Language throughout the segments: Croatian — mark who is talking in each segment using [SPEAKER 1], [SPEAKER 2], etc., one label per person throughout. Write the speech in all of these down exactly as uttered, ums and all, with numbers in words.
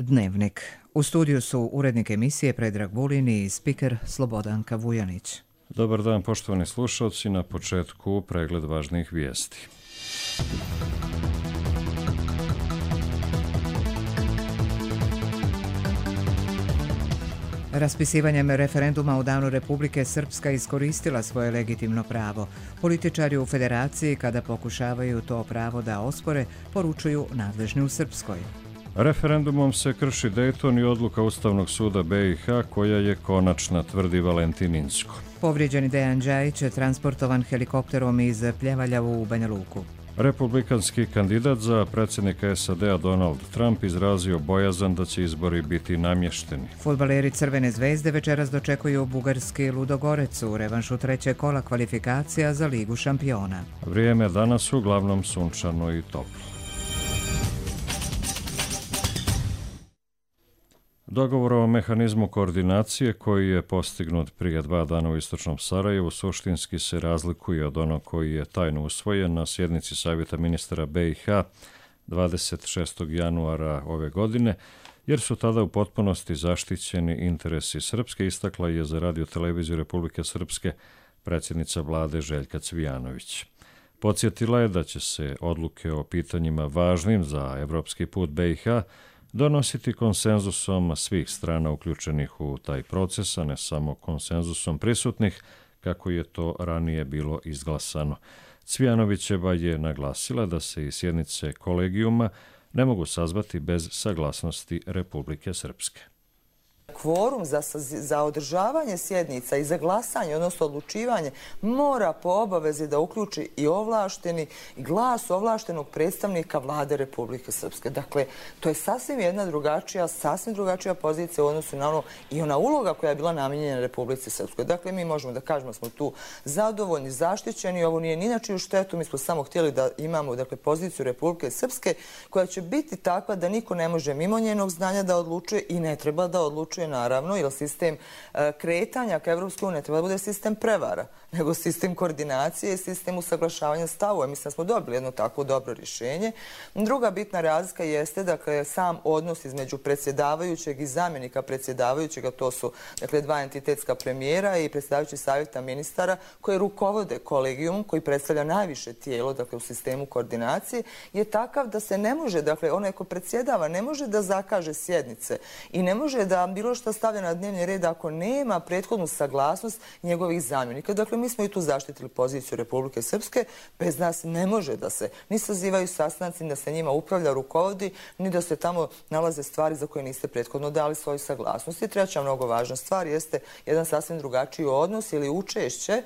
[SPEAKER 1] Dnevnik. U studiju su urednik emisije Predrag Vulin i spiker Slobodanka Vujanić.
[SPEAKER 2] Dobar dan, poštovani slušalci, na početku pregled važnih vijesti.
[SPEAKER 1] Raspisivanjem referenduma u Danu Republike Srpska iskoristila svoje legitimno pravo. Političari u Federaciji, kada pokušavaju to pravo da ospore, poručuju nadležni u Srpskoj.
[SPEAKER 2] Referendumom se krši Dejton i odluka Ustavnog suda B i H koja je konačna, tvrdi Valentin Inzko.
[SPEAKER 1] Povrijeđeni Dejan Đajić je transportovan helikopterom iz Pljevalja u Banja Luku.
[SPEAKER 2] Republikanski kandidat za predsjednika S A D-a Donald Trump izrazio bojazan da će izbori biti namješteni.
[SPEAKER 1] Fudbaleri Crvene zvezde večeras dočekuju bugarski Ludogorec u revanšu trećeg kola kvalifikacija za Ligu šampiona.
[SPEAKER 2] Vrijeme danas uglavnom sunčano i toplo. Dogovor o mehanizmu koordinacije koji je postignut prije dva dana u istočnom Sarajevu suštinski se razlikuje od onog koji je tajno usvojen na sjednici Savjeta ministara B i H dvadeset šestog januara ove godine, jer su tada u potpunosti zaštićeni interesi Srpske, istakla je za Radio-televiziju Republike Srpske predsjednica vlade Željka Cvijanović. Podsjetila je da će se odluke o pitanjima važnim za evropski put B i H donositi konsenzusom svih strana uključenih u taj proces, a ne samo konsenzusom prisutnih, kako je to ranije bilo izglasano. Cvijanovićeva je naglasila da se i sjednice kolegijuma ne mogu sazvati bez saglasnosti Republike Srpske.
[SPEAKER 3] Kvorum za, za održavanje sjednica i za glasanje, odnosno odlučivanje, mora po obavezi da uključi i ovlašteni glas ovlaštenog predstavnika vlade Republike Srpske. Dakle, to je sasvim jedna drugačija, sasvim drugačija pozicija u odnosu na ono i ona uloga koja je bila namijenjena Republici Srpskoj. Dakle, mi možemo da kažemo da smo tu zadovoljni, zaštićeni, ovo nije ni na čiju štetu, mi smo samo htjeli da imamo dakle, poziciju Republike Srpske koja će biti takva da niko ne može mimo njenog znanja da odlučuje i ne treba da odlučuje naravno, jer sistem kretanja ka Evropskoj uniji ne treba da bude sistem prevara, nego sistem koordinacije i sistem usaglašavanja stavova. Mislim da smo dobili jedno takvo dobro rješenje. Druga bitna razlika jeste dakle, sam odnos između predsjedavajućeg i zamjenika predsjedavajućega, to su dakle, dva entitetska premijera i predsjedavajući savjeta ministara koji rukovode kolegijumom, koji predstavlja najviše tijelo dakle, u sistemu koordinacije, je takav da se ne može, dakle, onaj ko predsjedava ne može da zakaže sjednice i ne može da bilo što stavlja na dnevni red ako nema prethodnu saglasnost njegovih zamjenika. Dakle, mi smo i tu zaštitili poziciju Republike Srpske. Bez nas ne može da se ni sazivaju sastanci, da se njima upravlja, rukovodi, ni da se tamo nalaze stvari za koje niste prethodno dali svoju saglasnost. I treća mnogo važna stvar jeste jedan sasvim drugačiji odnos ili učešće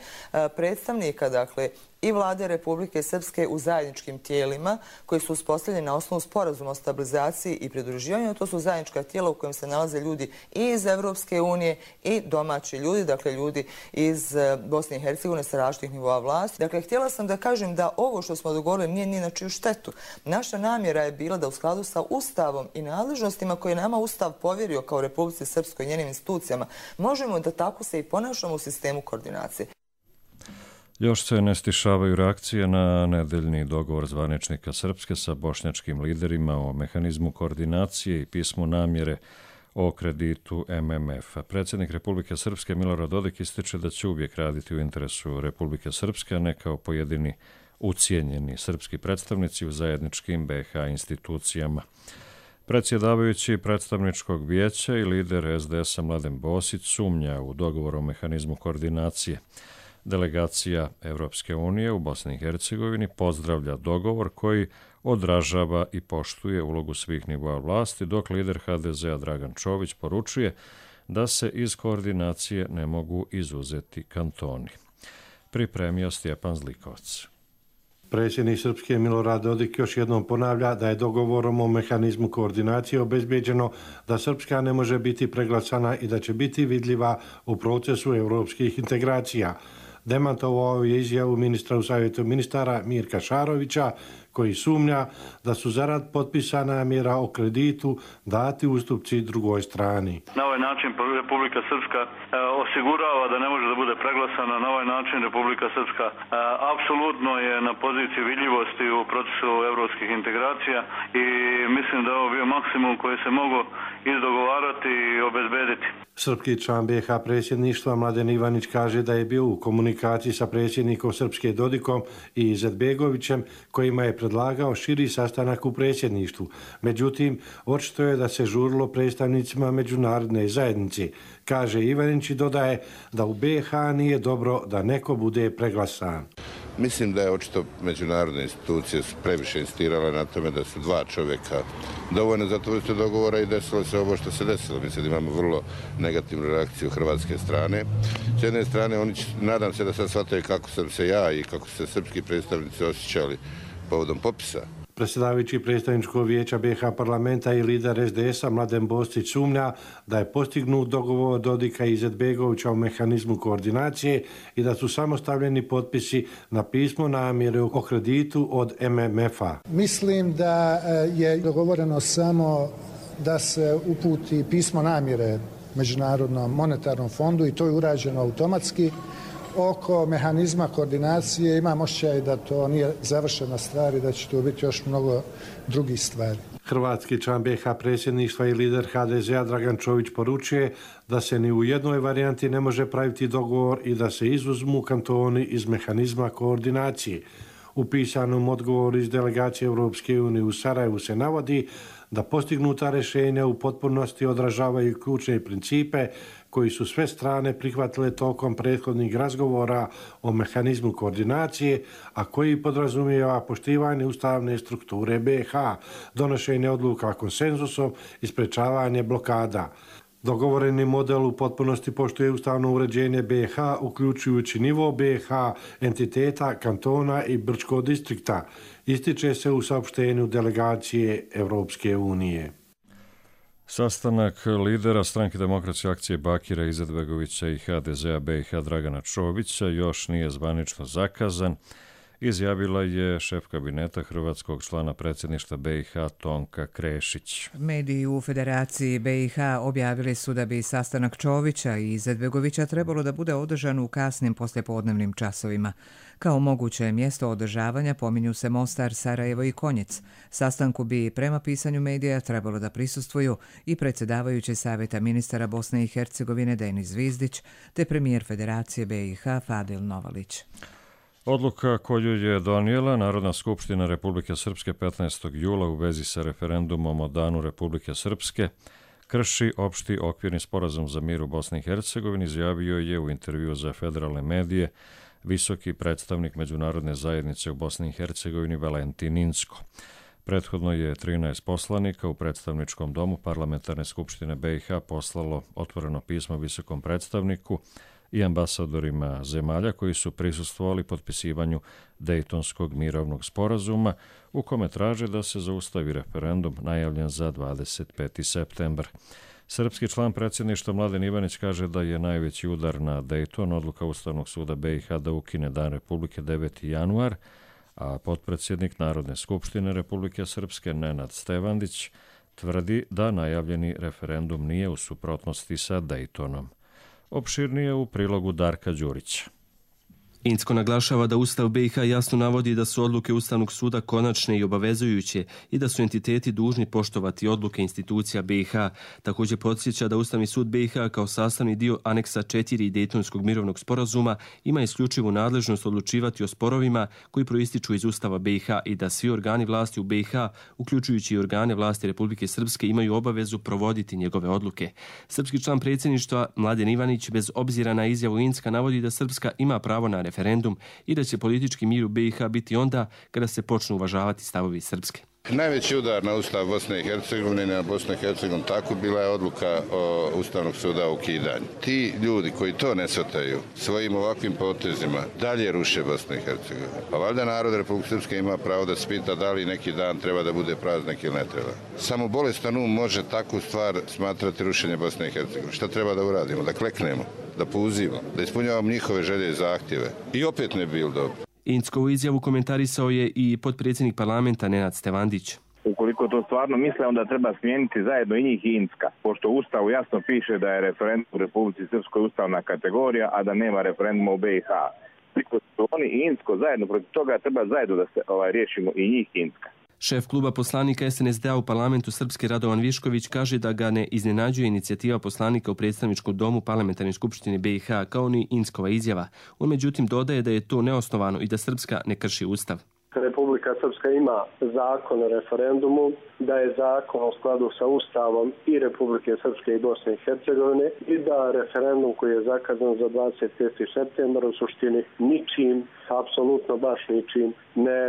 [SPEAKER 3] predstavnika, dakle, i vlade Republike Srpske u zajedničkim tijelima koji su uspostavljeni na osnovu sporazuma o stabilizaciji i pridruživanju. To su zajednička tijela u kojem se nalaze ljudi i iz Evropske unije i domaći ljudi, dakle ljudi iz Bosne i Hercegovine sa različitih nivoa vlasti. Dakle, htjela sam da kažem da ovo što smo dogovorili nije ni na čiju štetu. Naša namjera je bila da u skladu sa Ustavom i nadležnostima koje nama Ustav povjerio kao Republici Srpskoj i njenim institucijama možemo da tako se i ponašamo u sistemu koordinacije.
[SPEAKER 2] Još se ne stišavaju reakcije na nedeljni dogovor zvaničnika Srpske sa bošnjačkim liderima o mehanizmu koordinacije i pismu namjere o kreditu M M F. Predsjednik Republike Srpske Milorad Dodik ističe da će uvijek raditi u interesu Republike Srpske, a ne kao pojedini ucijenjeni srpski predstavnici u zajedničkim B i H institucijama. Predsjedavajući predstavničkog vijeća i lider S D S-a Mladen Bosić sumnja u dogovor o mehanizmu koordinacije. Delegacija Evropske unije u Bosni i Hercegovini pozdravlja dogovor koji odražava i poštuje ulogu svih nivoa vlasti, dok lider H D Z-a Dragan Čović poručuje da se iz koordinacije ne mogu izuzeti kantoni. Pripremio Stjepan Zlikovac.
[SPEAKER 4] Predsjednik Srpske Milorad Dodik još jednom ponavlja da je dogovorom o mehanizmu koordinacije obezbeđeno da Srpska ne može biti preglasana i da će biti vidljiva u procesu europskih integracija. Demantovao je izjavu ministra u Savjetu ministara Mirka Šarovića, koji sumnja da su zarad potpisa namjera o kreditu dati ustupci drugoj strani.
[SPEAKER 5] Na ovaj način Republika Srpska osigurava da ne može da bude preglasana. Na ovaj način Republika Srpska apsolutno je na poziciji vidljivosti u procesu evropskih integracija i mislim da je ovo bio maksimum koji se mogu izdogovarati i obezbediti.
[SPEAKER 4] Srpski član B H predsjedništva Mladen Ivanić kaže da je bio u komunikaciji sa predsjednikom Srpske Dodikom i Izetbegovićem kojima je predlagao širi sastanak u predsjedništvu. Međutim, očito je da se žurilo predstavnicima međunarodne zajednice. Kaže Ivanić i dodaje da u B H nije dobro da neko bude preglasan.
[SPEAKER 6] Mislim da je očito međunarodne institucije previše insistirale na tome da su dva čovjeka dovoljno za to vrste dogovora i desilo se ovo što se desilo. Mislim da imamo vrlo negativnu reakciju hrvatske strane. S jedne strane, oni, nadam se da sad shvataju kako sam se ja i kako su se srpski predstavnici osjećali povodom popisa.
[SPEAKER 4] Predsjedavajući predstavničkog vijeća B H parlamenta i lider S D S-a Mladen Bostić sumnja da je postignut dogovor Dodika i Izetbegovića o mehanizmu koordinacije i da su samo stavljeni potpisi na pismo namjere o kreditu od M M F-a.
[SPEAKER 7] Mislim da je dogovoreno samo da se uputi pismo namjere Međunarodnom monetarnom fondu i to je urađeno automatski. Oko mehanizma koordinacije imam osjećaj da to nije završena stvar i da će to biti još mnogo drugih stvari.
[SPEAKER 4] Hrvatski član B H predsjedništva i lider H D Z-a Dragan Čović poručuje da se ni u jednoj varijanti ne može praviti dogovor i da se izuzmu kantoni iz mehanizma koordinacije. U pisanom odgovoru iz delegacije Europske unije u Sarajevu se navodi da postignuta rješenja u potpunosti odražavaju ključne principe koji su sve strane prihvatile tokom prethodnih razgovora o mehanizmu koordinacije, a koji podrazumijeva poštivanje ustavne strukture B H, donošenje odluka konsenzusom i sprečavanje blokada. Dogovoreni model u potpunosti poštuje ustavno uređenje B H, uključujući nivo B H, entiteta, kantona i Brčkog distrikta, ističe se u saopštenju delegacije Europske unije.
[SPEAKER 2] Sastanak lidera Stranke demokratske akcije Bakira Izetbegovića i H D Z-a B i H Dragana Čovića još nije zvanično zakazan, izjavila je šef kabineta hrvatskog člana predsjedništva B i H Tonka Krešić.
[SPEAKER 1] Mediji u Federaciji B i H objavili su da bi sastanak Čovića i Izetbegovića trebalo da bude održan u kasnim poslijepodnevnim časovima. Kao moguće mjesto održavanja pominju se Mostar, Sarajevo i Konjic. Sastanku bi prema pisanju medija trebalo da prisustvuju i predsjedavajući Savjeta ministara Bosne i Hercegovine Denis Zvizdić te premijer Federacije B i H Fadil Novalić.
[SPEAKER 2] Odluka koju je donijela Narodna skupština Republike Srpske petnaestog jula u vezi sa referendumom o Danu Republike Srpske krši opšti okvirni sporazum za mir u Bosni i Hercegovini, izjavio je u intervju za federalne medije visoki predstavnik međunarodne zajednice u Bosni i Hercegovini Valentin Inzko. Prethodno je trinaest poslanika u predstavničkom domu Parlamentarne skupštine B i H poslalo otvoreno pismo visokom predstavniku i ambasadorima zemalja koji su prisustvovali potpisivanju Dejtonskog mirovnog sporazuma u kome traže da se zaustavi referendum najavljen za dvadeset peti septembar. Srpski član predsjedništva Mladen Ivanić kaže da je najveći udar na Dejton odluka Ustavnog suda B i H da ukine Dan Republike deveti januar, a potpredsjednik Narodne skupštine Republike Srpske Nenad Stevandić tvrdi da najavljeni referendum nije u suprotnosti sa Dejtonom. Opširnije u prilogu Darka Đurića.
[SPEAKER 8] Inzko naglašava da Ustav B i H jasno navodi da su odluke Ustavnog suda konačne i obavezujuće i da su entiteti dužni poštovati odluke institucija B i H. Također podsjeća da Ustavni sud B i H kao sastavni dio aneksa četiri Dejtonskog mirovnog sporazuma ima isključivu nadležnost odlučivati o sporovima koji proističu iz Ustava B i H i da svi organi vlasti u B i H, uključujući i organe vlasti Republike Srpske, imaju obavezu provoditi njegove odluke. Srpski član predsjedništva Mladen Ivanić bez obzira na izjavu Inzka navodi da Srpska ima pravo na referendum i da će politički mir u B i H biti onda kada se počnu uvažavati stavovi Srpske.
[SPEAKER 6] Najveći udar na Ustav Bosne i Hercegovine i na Bosnu i Hercegovinu tako bila je odluka o Ustavnog suda o ukidanju. Ti ljudi koji to ne shvataju svojim ovakvim potezima dalje ruše Bosnu i Hercegovinu. Pa valjda narod Republike Srpske ima pravo da se pita da li neki dan treba da bude praznik ili ne treba. Samo bolestan um može takvu stvar smatrati rušenje Bosne i Hercegovine. Šta treba da uradimo? Da kleknemo, da pouzimo, da ispunjavamo njihove želje i zahtjeve. I opet ne bi bilo dobro.
[SPEAKER 8] Inzkovu izjavu komentarisao je i potpredsjednik parlamenta Nenad Stevandić.
[SPEAKER 9] Ukoliko to stvarno misle, onda treba smijeniti zajedno i njih i Inzka, pošto u Ustavu jasno piše da je referendum u Republici Srpskoj ustavna kategorija, a da nema referenduma u B i H. Ukoliko su oni i Inzko zajedno protiv toga, treba zajedno da se ovaj, riješimo i njih i Inzka.
[SPEAKER 8] Šef kluba poslanika es en es de a u parlamentu Srpske Radovan Višković kaže da ga ne iznenađuje inicijativa poslanika u predstavničkom domu Parlamentarne skupštine be i ha kao ni Inckova izjava. On međutim dodaje da je to neosnovano i da Srpska ne krši ustav.
[SPEAKER 10] Republika Srpska ima zakon o referendumu, da je zakon u skladu sa Ustavom i Republike Srpske i Bosne i Hercegovine i da referendum koji je zakazan za dvadeset peti septembar u suštini ničim, apsolutno baš ničim, ne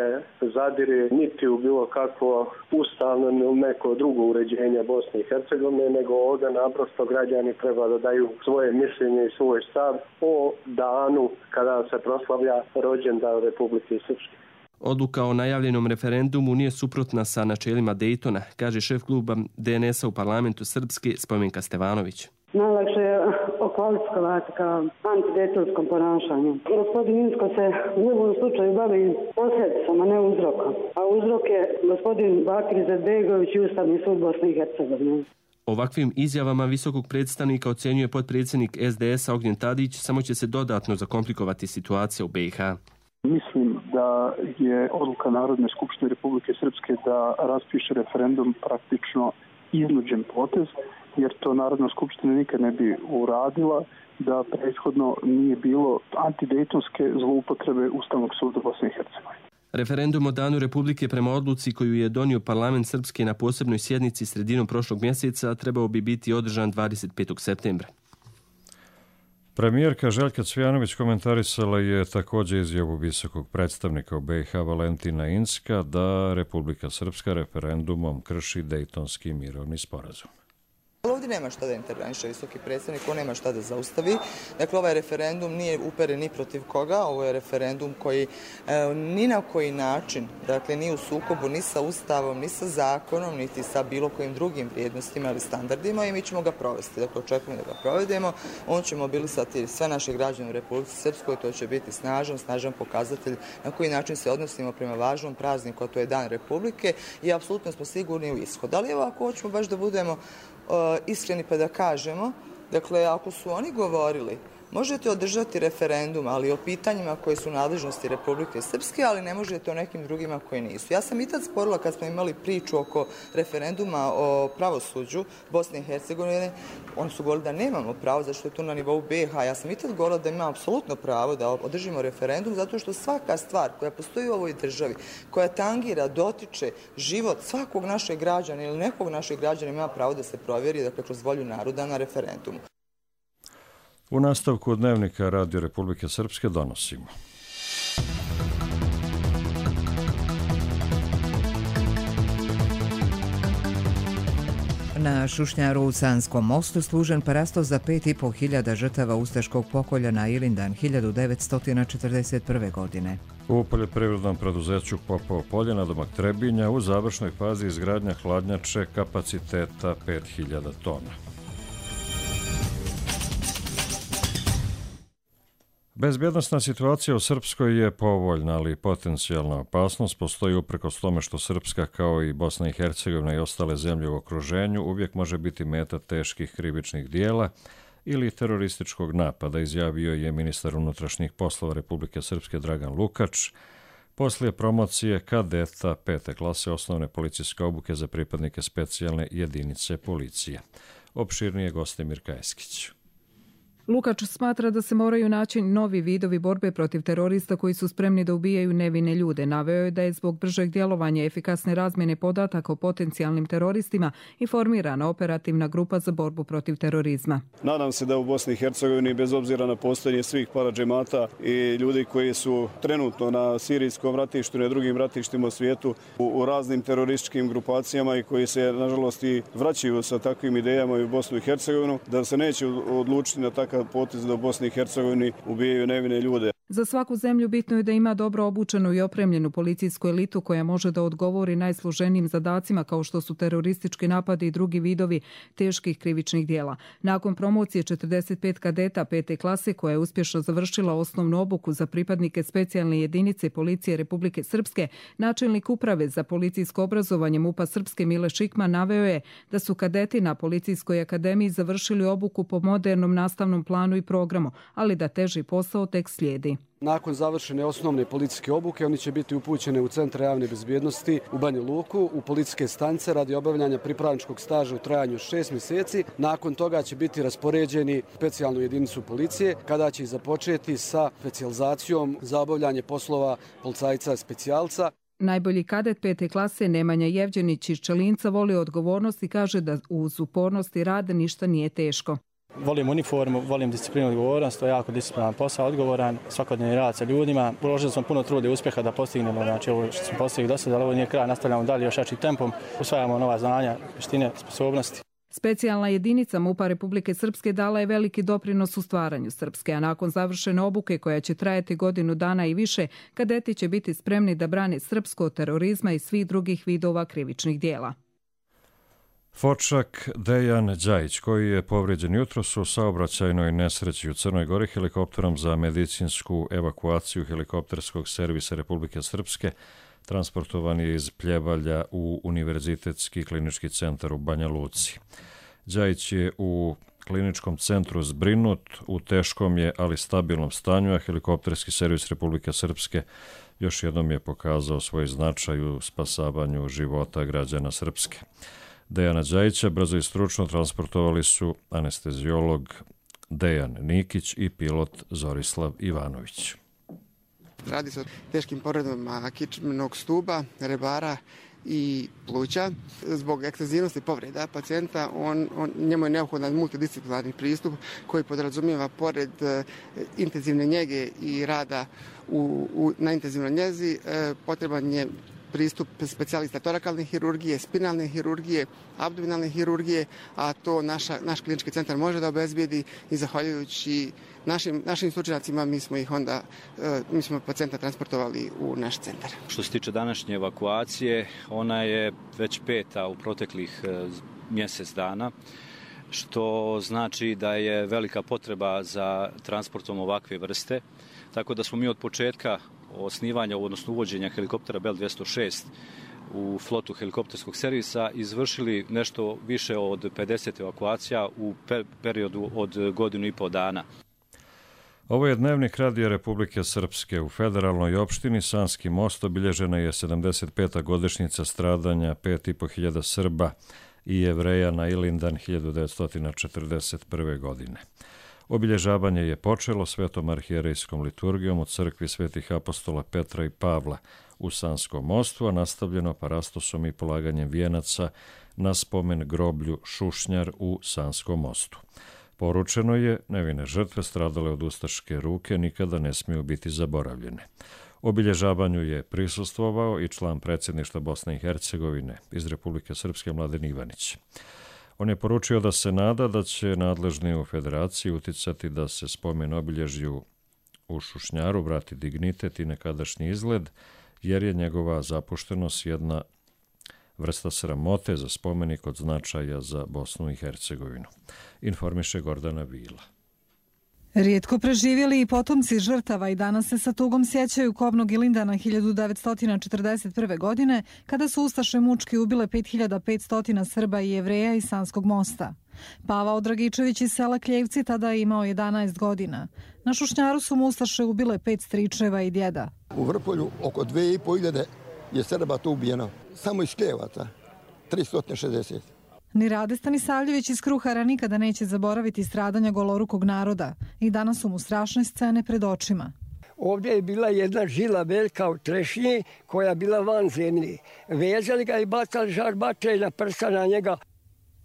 [SPEAKER 10] zadire niti u bilo kakvo ustavno ili neko drugo uređenje Bosne i Hercegovine, nego ovdje naprosto građani treba da daju svoje mišljenje i svoj stav o danu kada se proslavlja rođendan Republike Srpske.
[SPEAKER 8] Odluka o najavljenom referendumu nije suprotna sa načelima Dejtona, kaže šef kluba de en es a u parlamentu Srpske Spomenka Stevanović.
[SPEAKER 11] Najlakše je okvalifikovati kao antidejtonskom ponašanju. Gospodin Incko se u ovom slučaju bavi posljedicama, ne uzrokom. A uzrok je gospodin Bakir Izetbegović i Ustavni sud Bosne i Hercegovine.
[SPEAKER 8] Ovakvim izjavama visokog predstavnika ocjenjuje potpredsjednik es de es a Ognjen Tadić, samo će se dodatno zakomplikovati situacija u be i ha.
[SPEAKER 12] Mislim da je odluka Narodne skupštine Republike Srpske da raspiše referendum praktično iznuđen potez, jer to Narodna skupština nikad ne bi uradila da prethodno nije bilo antidejtonske zloupotrebe Ustavnog suda Bosne i Hercegovine.
[SPEAKER 8] Referendum o danu Republike prema odluci koju je donio parlament Srpske na posebnoj sjednici sredinom prošlog mjeseca trebao bi biti održan dvadeset petog septembra.
[SPEAKER 2] Premijerka Željka Cvijanović komentarisala je također izjavu visokog predstavnika u be i ha Valentina Incka da Republika Srpska referendumom krši Dejtonski mirovni sporazum.
[SPEAKER 3] Ovdje nema šta da interveniše visoki predstavnik, on nema šta da zaustavi. Dakle, ovaj referendum nije uperen ni protiv koga, ovo je referendum koji e, ni na koji način, dakle, nije u sukobu ni sa Ustavom, ni sa zakonom, niti sa bilo kojim drugim vrijednostima ili standardima i mi ćemo ga provesti. Dakle, očekujemo da ga provedemo. On će mobilisati sve naše građane u Republici Srpskoj, to će biti snažan, snažan pokazatelj na koji način se odnosimo prema važnom prazniku, a to je Dan Republike i apsolutno smo sigurni u ishod. Ali evo, ako hoćemo baš da budemo iskreni pa da kažemo, dakle, ako su oni govorili, možete održati referendum, ali o pitanjima koje su nadležnosti Republike Srpske, ali ne možete o nekim drugima koje nisu. Ja sam i tad sporila kad smo imali priču oko referenduma o pravosuđu Bosne i Hercegovine, oni su govorili da nemamo pravo, zašto je to na nivou be i ha. Ja sam i tad govorila da imamo apsolutno pravo da održimo referendum, zato što svaka stvar koja postoji u ovoj državi, koja tangira, dotiče život svakog našeg građana ili nekog našeg građana ima pravo da se provjeri, dakle, kroz volju naroda na referendumu.
[SPEAKER 2] U nastavku dnevnika Radio Republike Srpske donosimo.
[SPEAKER 1] Na Šušnjaru u Sanskom mostu služen parasto za pet i po hiljada žrtava ustaškog pokolja na Ilindan hiljadu devetsto četrdeset prve. godine.
[SPEAKER 2] U poljoprivrednom preduzeću Popovo polje na domak Trebinja u završnoj fazi izgradnja hladnjače kapaciteta pet hiljada tona. Bezbjednosna situacija u Srpskoj je povoljna, ali potencijalna opasnost postoji uprkos tome što Srpska, kao i Bosna i Hercegovina i ostale zemlje u okruženju, uvijek može biti meta teških krivičnih dijela ili terorističkog napada, izjavio je ministar unutrašnjih poslova Republike Srpske Dragan Lukač poslije promocije kadeta pete klase osnovne policijske obuke za pripadnike specijalne jedinice policije. Opširnije goste Mirka Eskić.
[SPEAKER 13] Lukač smatra da se moraju naći novi vidovi borbe protiv terorista koji su spremni da ubijaju nevine ljude. Naveo je da je zbog bržeg djelovanja i efikasne razmjene podataka o potencijalnim teroristima i formirana operativna grupa za borbu protiv terorizma.
[SPEAKER 14] Nadam se da u Bosni i Hercegovini, bez obzira na postojanje svih paradžemata i ljudi koji su trenutno na sirijskom ratištu i na drugim ratištima u svijetu u, u raznim terorističkim grupacijama i koji se, nažalost, i vraćaju sa takvim idejama i u Bosnu i Hercegovinu, da se neće odlučiti na takav potez da u Bosni i Hercegovini ubijaju nevine ljude.
[SPEAKER 13] Za svaku zemlju bitno je da ima dobro obučenu i opremljenu policijsku elitu koja može da odgovori najsloženijim zadacima kao što su teroristički napadi i drugi vidovi teških krivičnih dijela. Nakon promocije četrdeset pet kadeta pete klase koja je uspješno završila osnovnu obuku za pripadnike specijalne jedinice policije Republike Srpske, načelnik uprave za policijsko obrazovanje MUP-a Srpske Mile Šikman naveo je da su kadeti na Policijskoj akademiji završili obuku po modernom nastavnom planu i programu, ali da teži posao tek slijedi.
[SPEAKER 15] Nakon završene osnovne policijske obuke, oni će biti upućeni u Centar javne bezbjednosti u Banja Luku, u policijske stanice radi obavljanja pripravničkog staža u trajanju šest mjeseci. Nakon toga će biti raspoređeni u specijalnu jedinicu policije, kada će započeti sa specijalizacijom za obavljanje poslova policajca specijalca.
[SPEAKER 13] Najbolji kadet pete klase Nemanja Jevđenić iz Čelinca voli odgovornost i kaže da uz upornost i rad ništa nije teško.
[SPEAKER 16] Volim uniformu, volim disciplinu i odgovornost, to je jako disciplinaran posao, odgovoran, svakodnevni rad sa ljudima. Uložili smo puno truda i uspjeha da postignemo, znači ovo što smo postigli do sada, ali ovo nije kraj, nastavljamo dalje još jačim tempom, usvajamo nova znanja, vještine, sposobnosti.
[SPEAKER 13] Specijalna jedinica MUP-a Republike Srpske dala je veliki doprinos u stvaranju Srpske, a nakon završene obuke koja će trajati godinu dana i više, kadeti će biti spremni da brane srpsko od terorizma i svih drugih vidova krivičnih dijela.
[SPEAKER 2] Fočak Dejan Đajić, koji je povrijeđen jutros u saobraćajnoj nesreći u Crnoj Gori helikopterom za medicinsku evakuaciju helikopterskog servisa Republike Srpske, transportovan je iz Pljevalja u Univerzitetski klinički centar u Banja Luci. Đajić je u kliničkom centru zbrinut, u teškom je, ali stabilnom stanju, a helikopterski servis Republike Srpske još jednom je pokazao svoj značaj u spasavanju života građana Srpske. Dejana Đajića brzo i stručno transportovali su anesteziolog Dejan Nikić i pilot Zorislav Ivanović.
[SPEAKER 17] Radi se o teškim povredama kičmenog stuba, rebara i pluća. Zbog ekstenzivnosti povreda pacijenta, on, on, njemu je neophodan multidisciplinarni pristup koji podrazumijeva pored e, intenzivne njege i rada u, u, na intenzivnoj njezi, e, potreban je pristup specijalista torakalne hirurgije, spinalne hirurgije, abdominalne hirurgije, a to naša, naš klinički centar može da obezbijedi i zahvaljujući našim, našim stručnjacima mi smo ih onda, mi smo pacijenta transportovali u naš centar.
[SPEAKER 18] Što se tiče današnje evakuacije, ona je već peta u proteklih mjesec dana, što znači da je velika potreba za transportom ovakve vrste, tako da smo mi od početka osnivanja, odnosno uvođenja helikoptera Bell dvjesto šest u flotu helikopterskog servisa izvršili nešto više od pedeset evakuacija u periodu od godinu i po dana.
[SPEAKER 2] Ovo je dnevnik Radija Republike Srpske. U federalnoj opštini Sanski Most obilježena je sedamdeset peta godišnjica stradanja pet i po hiljada Srba i Jevreja na Ilindan hiljadu devetsto četrdeset prve. godine. Obilježavanje je počelo svetom arhijerejskom liturgijom u crkvi svetih apostola Petra i Pavla u Sanskom Mostu, a nastavljeno parastosom i polaganjem vijenaca na spomen groblju Šušnjar u Sanskom Mostu. Poručeno je, nevine žrtve stradale od ustaške ruke nikada ne smiju biti zaboravljene. Obilježavanju je prisustvovao i član predsjedništva Bosne i Hercegovine iz Republike Srpske Mladen Ivanić. On je poručio da se nada da će nadležni u federaciji uticati da se spomen obilježju u Šušnjaru vrati dignitet i nekadašnji izgled, jer je njegova zapuštenost jedna vrsta sramote za spomenik od značaja za Bosnu i Hercegovinu. Informiše Gordana Vila.
[SPEAKER 19] Rijetko preživjeli i potomci žrtava i danas se sa tugom sjećaju kobnog Ilindana hiljadu devetsto četrdeset prve. godine, kada su ustaše mučki ubile pet hiljada petsto Srba i Jevreja iz Sanskog Mosta. Pavao Dragičević iz sela Kljevci tada je imao jedanaest godina. Na Šušnjaru su mu ustaše ubile pet stričeva i djeda.
[SPEAKER 20] U Vrpolju oko dve i po hiljade je Srba to ubijeno. Samo iz Kljevaca, tristo šezdeset.
[SPEAKER 19] Ni Rade Stanisavljević iz Kruhara nikada neće zaboraviti stradanja golorukog naroda i danas su mu strašne scene pred očima.
[SPEAKER 21] Ovdje je bila jedna žila velika od trešnje koja je bila van zemlje. Vezali ga i bacali žarbače na prsa na njega.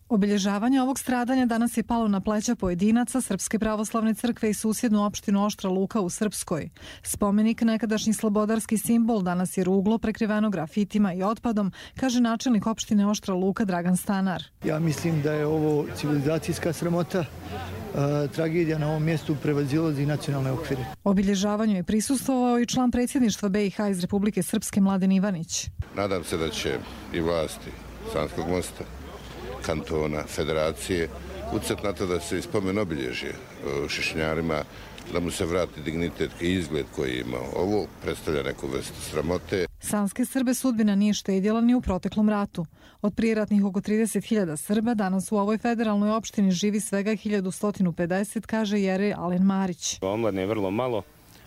[SPEAKER 19] Obilježavanje ovog stradanja danas je palo na pleća pojedinaca Srpske pravoslavne crkve i susjednu opštinu Oštra Luka u Srpskoj. Spomenik, nekadašnji slobodarski simbol, danas je ruglo prekriveno grafitima i otpadom, kaže načelnik opštine Oštra Luka Dragan Stanar.
[SPEAKER 22] Ja mislim da je ovo civilizacijska sramota. Tragedija na ovom mjestu prevazilazi nacionalne okvire.
[SPEAKER 19] Obilježavanju je prisustvovao i član predsjedništva B i H iz Republike Srpske Mladen Ivanić.
[SPEAKER 6] Nadam se da će i vlasti Sanskog Mosta, kantona, federacije, ucet na to da se spomen obilježje Šušnjarima, da mu se vrati dignitet i izgled koji je imao. Ovo predstavlja neku vrstu sramote.
[SPEAKER 19] Sanske Srbe sudbina nije štedjela ni u proteklom ratu. Od prijeratnih oko trideset hiljada Srba danas u ovoj federalnoj opštini živi svega hiljadu sto pedeset, kaže Jerej Alen Marić.
[SPEAKER 23] Omladne je vrlo malo,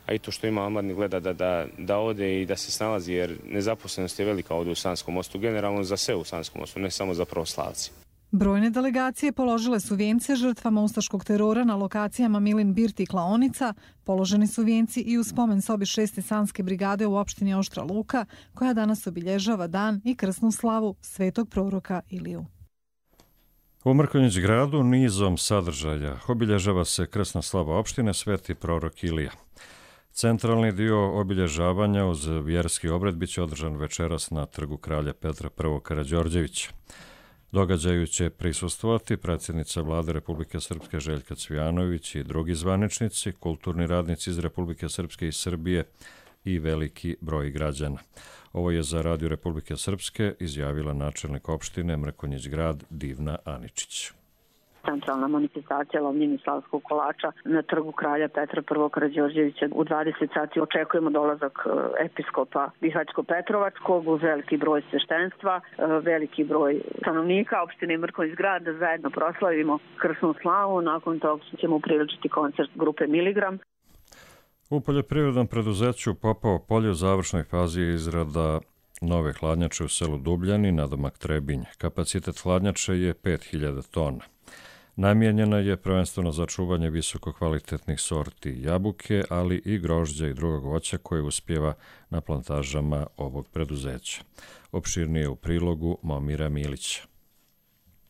[SPEAKER 5] a i to što ima omladni gleda da, da, da ode i da se snalazi, jer nezaposlenost je velika ovdje u Sanskom mostu, generalno za sve u Sanskom mostu, ne samo za pravoslavci.
[SPEAKER 19] Brojne delegacije položile su vijence žrtvama ustaškog terora na lokacijama Milin Birt i Klaonica. Položeni su vijenci i u spomen sobi šeste Sanske brigade u opštini Oštra Luka, koja danas obilježava dan i krsnu slavu svetog proroka Iliju.
[SPEAKER 2] U Mrkonjić gradu nizom sadržaja obilježava se krsna slava opštine Sveti prorok Ilija. Centralni dio obilježavanja uz vjerski obred biće održan večeras na trgu kralja Petra I. Karađorđevića. Događaju će prisustvovati predsjednica Vlade Republike Srpske Željka Cvijanović i drugi zvaničnici, kulturni radnici iz Republike Srpske i Srbije i veliki broj građana. Ovo je za Radio Republike Srpske izjavila načelnik opštine Mrkonjić grad Divna Aničić.
[SPEAKER 7] Centralna manifestacija lomljenja slavskog kolača na trgu kralja Petra I. Karađorđevića. U dvadeset sati očekujemo dolazak episkopa Bihać-Petrovačkog uz veliki broj sveštenstva, veliki broj stanovnika opštine Mrkonjić grad da zajedno proslavimo krsnu slavu. Nakon toga ćemo upriličiti koncert grupe Miligram.
[SPEAKER 2] U poljoprivrednom preduzeću Popovo polje u završnoj fazi je izrada nove hladnjače u selu Dubljani, nadomak Trebinj. Kapacitet hladnjače je pet hiljada tona. Namijenjena je prvenstveno za čuvanje visokokvalitetnih sorti jabuke, ali i grožđa i drugog voća koje uspjeva na plantažama ovog preduzeća. Opširnije u prilogu Momira Milića.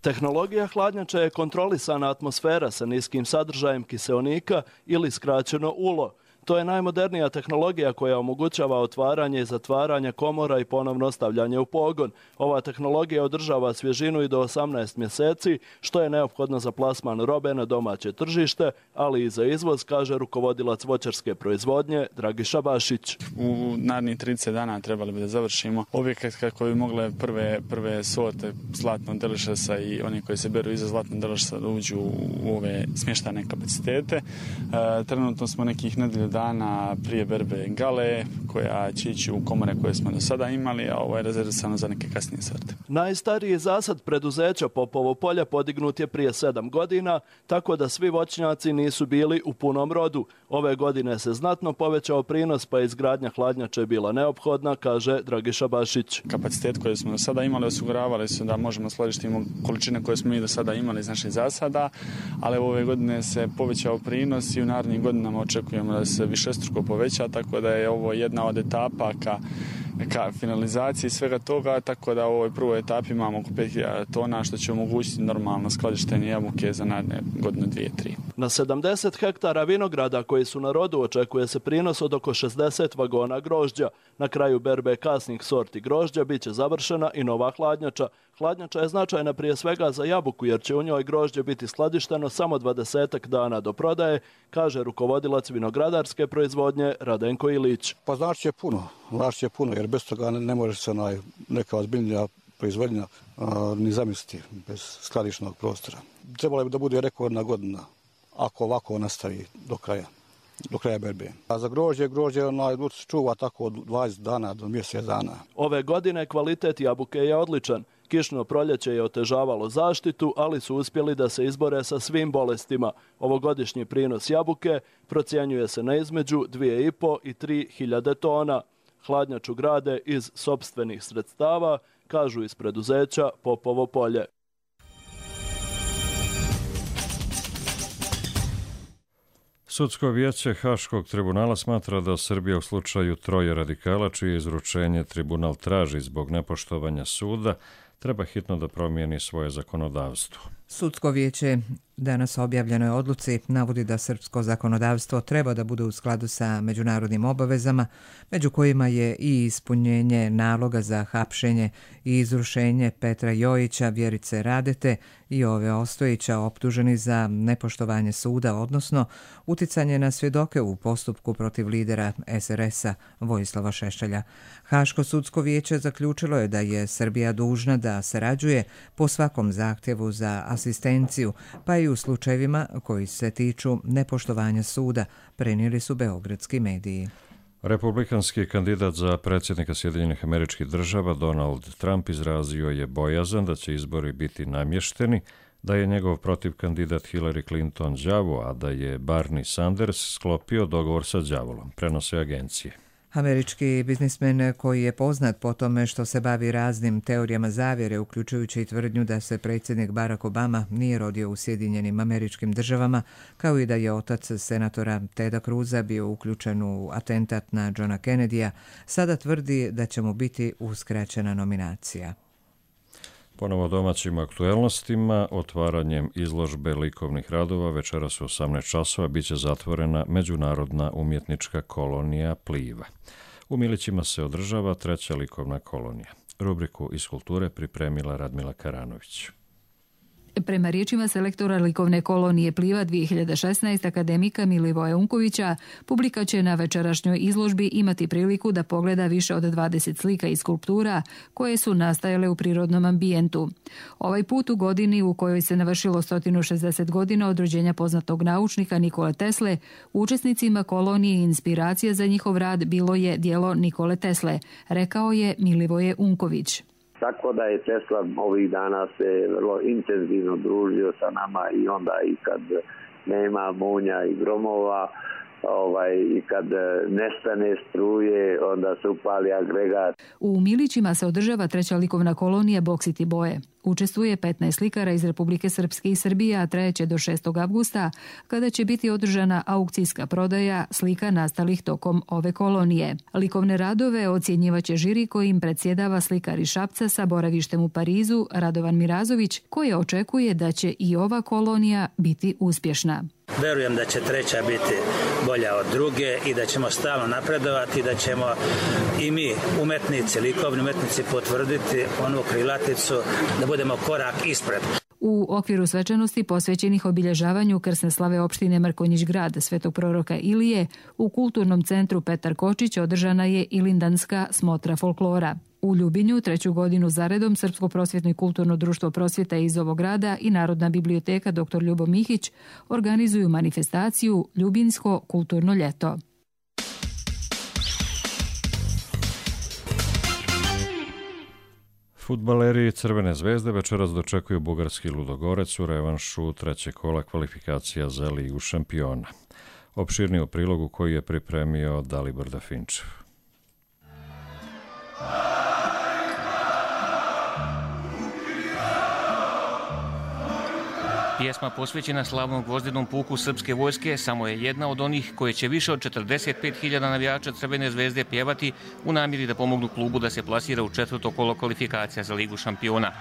[SPEAKER 23] Tehnologija hladnjača je kontrolisana atmosfera sa niskim sadržajem kiseonika ili skraćeno U L O. To je najmodernija tehnologija koja omogućava otvaranje i zatvaranje komora i ponovno stavljanje u pogon. Ova tehnologija održava svježinu i do osamnaest mjeseci, što je neophodno za plasman robe na domaće tržište, ali i za izvoz, kaže rukovodilac voćarske proizvodnje Dragiša Bašić.
[SPEAKER 24] U narednih trideset dana trebali bi da završimo objekat kako bi mogle prve, prve sorte zlatnog delišasa i oni koji se beru iza zlatnog delišasa da uđu u ove smještane kapacitete. E, trenutno smo nekih nedelju dana prije berbe gale, koja će ići u komore koje smo do sada imali, a ovo je rezervisano za neke kasnije sorte.
[SPEAKER 23] Najstariji zasad preduzeća Popovo polje podignut je prije sedam godina, tako da svi voćnjaci nisu bili u punom rodu. Ove godine se znatno povećao prinos, pa izgradnja hladnjače bila neophodna, kaže Dragiša Bašić.
[SPEAKER 24] Kapacitet koje smo do sada imali osiguravali su da možemo skladištiti količine koje smo mi do sada imali iz naših zasada, ali ove godine se povećao prinos i u narednim godinama očekujemo da se višestruko poveća, tako da je ovo jedna od etapa ka, ka finalizaciji svega toga, tako da u ovoj prvoj etapi imamo oko pet hiljada tona, što će omogućiti normalno skladištenje jabuke za naredne godine dvije tri.
[SPEAKER 23] Na sedamdeset hektara vinograda koji su na rodu očekuje se prinos od oko šezdeset vagona grožđa. Na kraju berbe kasnih sorti grožđa bit će završena i nova hladnjača. Hladnjača je značajna prije svega za jabuku, jer će u njoj grožđe biti skladišteno samo dvadesetak dana do prodaje, kaže rukovodilac vinogradarske proizvodnje Radenko Ilić.
[SPEAKER 25] Pa znači će puno, znači će puno, jer bez toga ne, ne može se naj, neka ozbiljnija proizvodnja a, ni zamisliti bez skladišnog prostora. Trebalo bi da bude rekordna godina, ako ovako nastavi do kraja. do kraja berbe. A za grožđe, grožđe onaj čuva tako od dvadeset dana do mjesec dana.
[SPEAKER 23] Ove godine kvalitet jabuke je odličan. Kišno proljeće je otežavalo zaštitu, ali su uspjeli da se izbore sa svim bolestima. Ovogodišnji prinos jabuke procjenjuje se na između dvije i po i tri hiljade tona. Hladnjaču grade iz sopstvenih sredstava, kažu iz preduzeća Popovo polje.
[SPEAKER 2] Sudsko vijeće Haškog tribunala smatra da Srbija u slučaju troje radikala, čije izručenje tribunal traži zbog nepoštovanja suda, treba hitno da promijeni svoje zakonodavstvo.
[SPEAKER 1] Sudsko vijeće danas objavljenoj odluci navodi da srpsko zakonodavstvo treba da bude u skladu sa međunarodnim obavezama, među kojima je i ispunjenje naloga za hapšenje i izrušenje Petra Jojića, Vjerice Radete i Ove Ostojića optuženi za nepoštovanje suda, odnosno uticanje na svjedoke u postupku protiv lidera S R S-a Vojislava Šešelja. Haško sudsko vijeće zaključilo je da je Srbija dužna da sarađuje po svakom zahtjevu za asistenciju, pa i u slučajevima koji se tiču nepoštovanja suda, prenijeli su beogradski mediji.
[SPEAKER 2] Republikanski kandidat za predsjednika Sjedinjenih Američkih Država Donald Trump izrazio je bojazan da će izbori biti namješteni, da je njegov protivkandidat Hillary Clinton đavo, a da je Bernie Sanders sklopio dogovor sa đavolom, prenose agencije.
[SPEAKER 1] Američki biznismen koji je poznat po tome što se bavi raznim teorijama zavjere, uključujući i tvrdnju da se predsjednik Barack Obama nije rodio u Sjedinjenim Američkim Državama, kao i da je otac senatora Teda Cruza bio uključen u atentat na Johna Kennedyja, sada tvrdi da će mu biti uskraćena nominacija.
[SPEAKER 2] Ponovo domaćim aktuelnostima, otvaranjem izložbe likovnih radova večeras u osamnaest časova biće zatvorena Međunarodna umjetnička kolonija Pliva. U Milićima se održava treća likovna kolonija. Rubriku iz kulture pripremila Radmila Karanović.
[SPEAKER 13] Prema riječima selektora likovne kolonije Pliva dvije hiljade šesnaeste akademika Milivoja Unkovića, publika će na večerašnjoj izložbi imati priliku da pogleda više od dvadeset slika i skulptura koje su nastajale u prirodnom ambijentu. Ovaj put u godini u kojoj se navršilo sto šezdeset godina od rođenja poznatog naučnika Nikole Tesle, učesnicima kolonije i inspiracija za njihov rad bilo je djelo Nikole Tesle, rekao je Milivoje Unković.
[SPEAKER 4] Tako da je Tesla ovih dana se vrlo intenzivno družio sa nama i onda i kad nema munja i gromova, ovaj, i kad nestane struje, onda se upali agregat.
[SPEAKER 13] U Milićima se održava treća likovna kolonija Boksiti boje. Učestvuje petnaest slikara iz Republike Srpske i Srbije, a trajeće do šestog avgusta, kada će biti održana aukcijska prodaja slika nastalih tokom ove kolonije. Likovne radove ocjenjivaće žiri kojim predsjedava slikar iz Šapca sa boravištem u Parizu, Radovan Mirazović, koji očekuje da će i ova kolonija biti uspješna.
[SPEAKER 9] Verujem da će treća biti bolja od druge i da ćemo stalno napredovati i da ćemo i mi, umetnici, likovni umetnici, potvrditi onu krilaticu da budemo korak ispred.
[SPEAKER 13] U okviru svečanosti posvećenih obilježavanju krsne slave opštine Mrkonjić grad Svetog proroka Ilije, u kulturnom centru Petar Kočić održana je Ilindanska smotra folklora. U Ljubinju treću godinu zaredom Srpsko prosvjetno i kulturno društvo prosvjeta iz ovog grada i Narodna biblioteka doktor Ljubo Mihić organizuju manifestaciju Ljubinsko kulturno ljeto.
[SPEAKER 2] Fudbaleri Crvene zvezde večeras dočekuju bugarski Ludogorec u revanšu trećeg kola kvalifikacija za Ligu šampiona. Opširniji u prilogu koji je pripremio Dalibor Dafinčev.
[SPEAKER 10] Pjesma posvećena slavnom gvozdenom puku srpske vojske samo je jedna od onih koje će više od četrdeset pet hiljada navijača Crvene zvezde pjevati u namjeri da pomognu klubu da se plasira u četvrto kolo kvalifikacija za Ligu šampiona.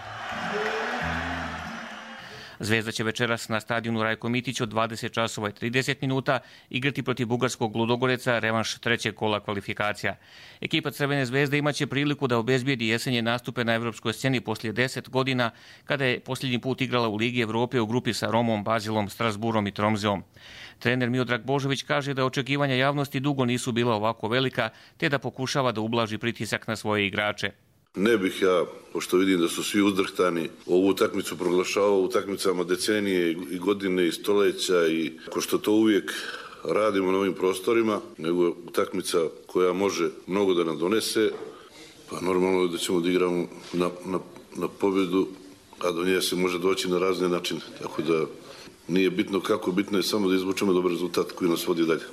[SPEAKER 10] Zvezda će večeras na stadionu Rajko Mitić od dvadeset časova i trideset minuta igrati protiv bugarskog Ludogoreca revanš trećeg kola kvalifikacija. Ekipa Crvene zvezde imaće priliku da obezbijedi jesenje nastupe na evropskoj sceni poslije deset godina, kada je posljednji put igrala u Ligi Evrope u grupi sa Romom, Bazilom, Strasburom i Tromzeom. Trener Miodrag Božović kaže da očekivanja javnosti dugo nisu bila ovako velika, te da pokušava da ublaži pritisak na svoje igrače.
[SPEAKER 11] Ne bih ja, pošto vidim da su svi uzdrhtani, ovu utakmicu proglašavao utakmicama decenije i godine i stoleća i ko što to uvijek radimo na ovim prostorima, nego utakmica koja može mnogo da nam donese, pa normalno je da ćemo da igramo na, na, na pobjedu, a do nje se može doći na razne načine. Tako da nije bitno kako, bitno je samo da izvučemo dobar rezultat koji nas vodi dalje.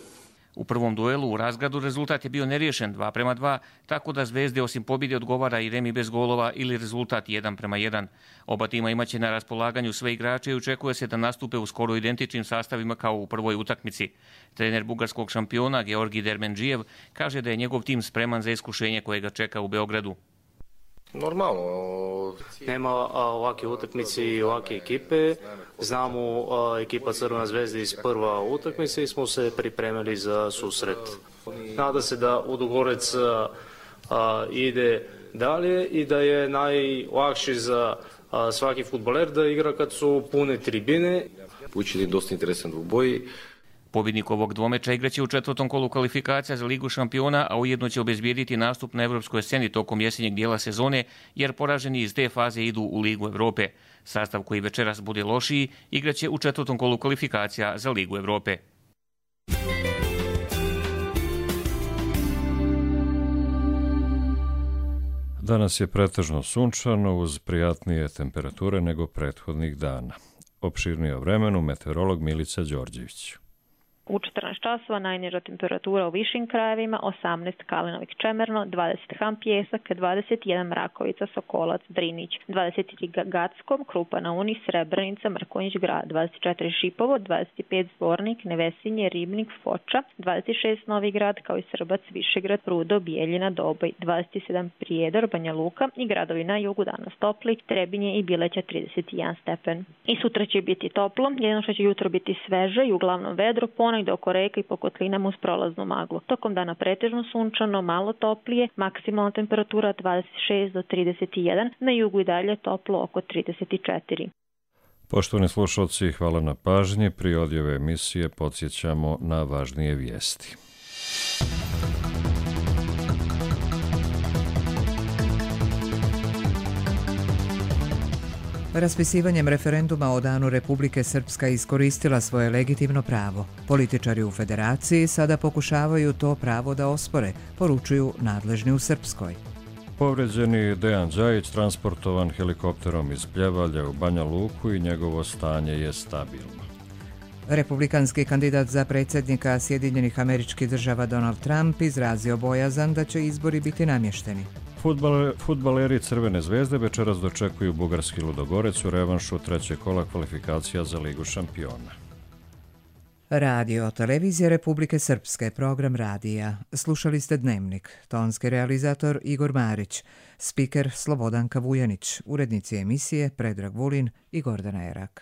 [SPEAKER 10] U prvom duelu u Razgradu rezultat je bio neriješen dva prema dva, tako da Zvezde osim pobjede odgovara i remi bez golova ili rezultat jedan prema jedan. Oba tima imaće na raspolaganju sve igrače i očekuje se da nastupe u skoro identičnim sastavima kao u prvoj utakmici. Trener bugarskog šampiona Georgi Dermendžijev kaže da je njegov tim spreman za iskušenje koje ga čeka u Beogradu.
[SPEAKER 12] Normalno, nema ovakve utakmice i ovakve ekipe. Znamo ekipa Crvena zvezda iz prva utakmice i smo se pripremili za susret. Nada se da Ludogorec ide dalje i da je najlakše za svaki fudbaler da igra kad su pune tribine. Učini dosta interesan dvoboj.
[SPEAKER 10] Pobjednik ovog dvomeča igraće u četvrtom kolu kvalifikacija za Ligu šampiona, a ujedno će obezbijediti nastup na evropskoj sceni tokom jesenjeg dijela sezone, jer poraženi iz te faze idu u Ligu Evrope. Sastav koji večeras bude lošiji igraće u četvrtom kolu kvalifikacija za Ligu Evrope.
[SPEAKER 2] Danas je pretežno sunčano uz prijatnije temperature nego prethodnih dana. Opširnije o vremenu meteorolog Milica Đorđević.
[SPEAKER 3] U četrnaest časova najniža temperatura u višim krajevima, osamnaest Kalinovik Čemerno, dvadeset Han Pjesak, dvadeset jedan Mrakovica, Sokolac, Drinić, dvadeset tri Gackom, Krupa na Uni, Srebrenica, Mrkonjić Grad, dvadeset četiri Šipovo, dvadeset pet Zvornik, Nevesinje, Ribnik, Foča, dvadeset šest Novi Grad, kao i Srbac, Višegrad, Rudo, Bijeljina, Doboj, dvadeset sedam Prijedor, Banja Luka i gradovi na jugu danas topli, Trebinje i Bileća trideset jedan stepen. I sutra će biti toplo, jedino što će jutro biti sveže i uglavnom vedro, ponegde oko reka i po kotlinama uz prolaznu maglu. Tokom dana pretežno sunčano, malo toplije, maksimalna temperatura dvadeset šest do trideset jedan, na jugu i dalje toplo oko trideset četiri.
[SPEAKER 2] Poštovani slušalci, hvala na pažnji. Pri odjave emisije podsjećamo na važnije vijesti.
[SPEAKER 1] Raspisivanjem referenduma o danu Republike Srpska iskoristila svoje legitimno pravo. Političari u federaciji sada pokušavaju to pravo da ospore, poručuju nadležni u Srpskoj.
[SPEAKER 2] Povređeni Dejan Đajić transportovan helikopterom iz Pljevalja u Banja Luku i njegovo stanje je stabilno.
[SPEAKER 1] Republikanski kandidat za predsjednika Sjedinjenih Američkih Država Donald Trump izrazio bojazan da će izbori biti namješteni.
[SPEAKER 2] Fudbaleri Crvene zvezde večeras dočekuju bugarski Ludogorec u revanšu trećeg kola kvalifikacija za Ligu šampiona.
[SPEAKER 1] Radio Televizija Republike Srpske, program radija. Slušali ste Dnevnik. Tonski realizator Igor Marić, spiker Slobodanka Vujanić, urednici emisije Predrag Vulin i Gordana Erak.